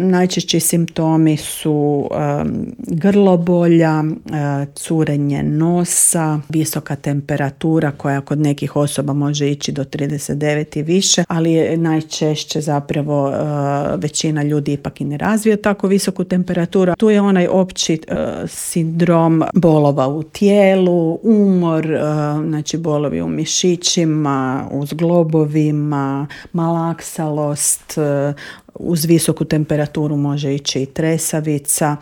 Najčešći simptomi su grlobolja, curenje nosa, visoka temperatura koja kod nekih osoba može ići do 39 i više, ali je najčešće zapravo većina ljudi ipak i ne razvije tako visoku temperaturu. Tu je onaj opći sindrom bolova u tijelu, umor, znači bolovi u mišićima, u zglobovima, malaksalost, uz visoku temperaturu može ići i tresavica.